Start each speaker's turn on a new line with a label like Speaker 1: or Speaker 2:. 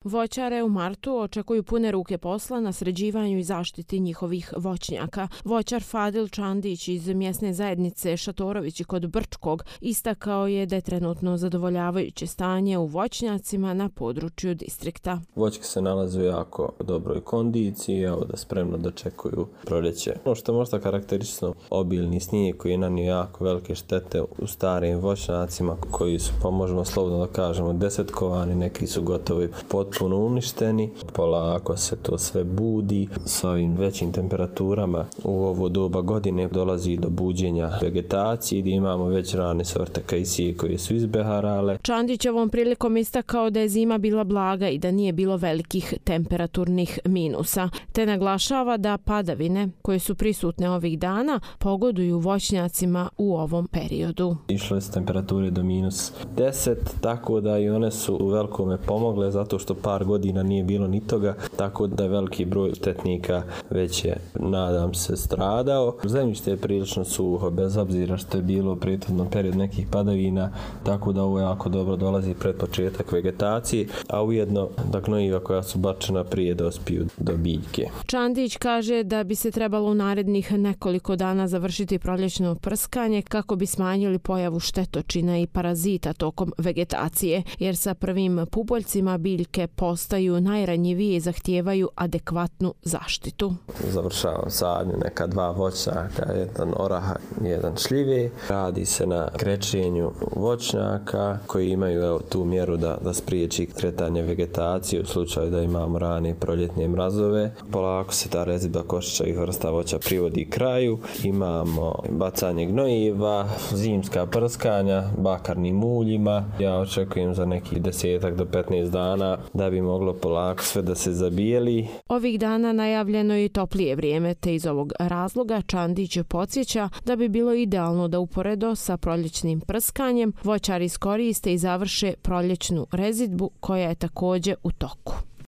Speaker 1: Voćare u martu očekuju pune ruke posla na sređivanju i zaštiti njihovih voćnjaka. Voćar Fadil Čandić iz mjesne zajednice Šatorovići kod Brčkog istakao je da je trenutno zadovoljavajuće stanje u voćnjacima na području distrikta.
Speaker 2: Voćke se nalaze u jako dobroj kondiciji, evo da spremno dočekuju proljeće. Ono što je možda karakteristično, obilni snijeg koji je nanio jako velike štete u starim voćnjacima koji su, pa možemo slobodno da kažemo, desetkovani, neki su gotovo potpuno uništeni. Polako se to sve budi. S ovim većim temperaturama u ovo doba godine dolazi do buđenja vegetacije gdje imamo već rane sorte kajsije koje su izbeharale.
Speaker 1: Čandić ovom prilikom istakao da je zima bila blaga i da nije bilo velikih temperaturnih minusa, te naglašava da padavine koje su prisutne ovih dana pogoduju voćnjacima u ovom periodu.
Speaker 2: Išle su temperature do -10, tako da i one su u velikome pomogle zato što par godina nije bilo ni toga, tako da je veliki broj štetnika već je, nadam se, stradao. Zemljište je prilično suho, bez obzira što je bilo u prethodnom periodu nekih padavina, tako da ovo jako dobro dolazi pred početak vegetacije, a ujedno da gnojiva koja su bačena prije dospiju do biljke.
Speaker 1: Čandić kaže da bi se trebalo u narednih nekoliko dana završiti proljećno prskanje kako bi smanjili pojavu štetočina i parazita tokom vegetacije, jer sa prvim pupoljcima biljke postaju najranjivije i zahtijevaju adekvatnu zaštitu.
Speaker 2: Završavam sadnju neka 2 voćnjaka, jedan oraha, jedan šljive. Radi se na krečenju voćnjaka koji imaju tu mjeru da spriječi kretanje vegetacije u slučaju da imamo rane proljetne mrazove. Polako se ta rezidba košičavih vrsta voća privodi kraju. Imamo bacanje gnojiva, zimska prskanja, bakarnim uljima. Ja očekujem za nekih 10 do 15 dana da bi moglo polako sve da se zabijeli.
Speaker 1: Ovih dana najavljeno je i toplije vrijeme, te iz ovog razloga Čandić podsjeća da bi bilo idealno da uporedo sa proljećnim prskanjem voćari iskoriste i završe proljećnu rezidbu koja je također u toku.